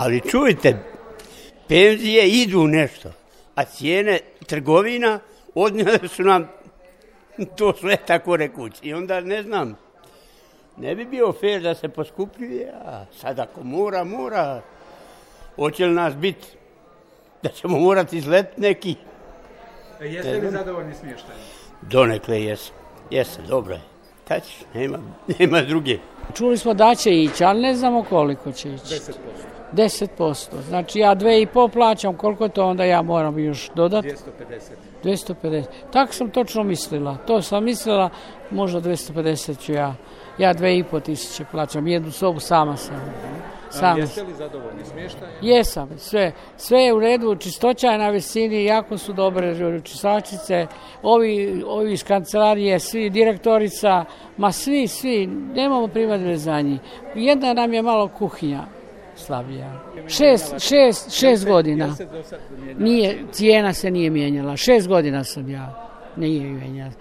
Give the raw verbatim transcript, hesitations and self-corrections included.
Ali čujte, penzije idu nešto, a cijene trgovina odnijele su nam to sve tako rekući. I onda ne znam, ne bi bio fair da se poskupljuje, a sad ako mora, mora, hoće li nas biti da ćemo morati izletiti neki. E, jeste li zadovoljni smještajem? Donekle jesam, jesam, dobro je. Kad ćeš, nema, nema druge. Čuli smo da će ići, ali ne znamo koliko će ići. deset posto. deset posto. Znači ja dve i pol plaćam, koliko to onda ja moram još dodati? dvjesto pedeset. dvjesto pedeset. Tako sam točno mislila. To sam mislila, možda dvjesto pedeset ću ja. Ja dve i pol tisuće plaćam, jednu sobu sama sam. Sama. Jeste li zadovoljni smještajem? Jesam, sve. Sve je u redu, čistoća je na visini, jako su dobre čistačice, ovi, ovi iz kancelarije, svi, direktorica, ma svi, svi, nemamo primjedbe za njih. Jedna nam je malo kuhinja slabija. Šest, šest, šest godina. Nije, cijena se nije mijenjala. Šest godina sam ja, nije mijenjala.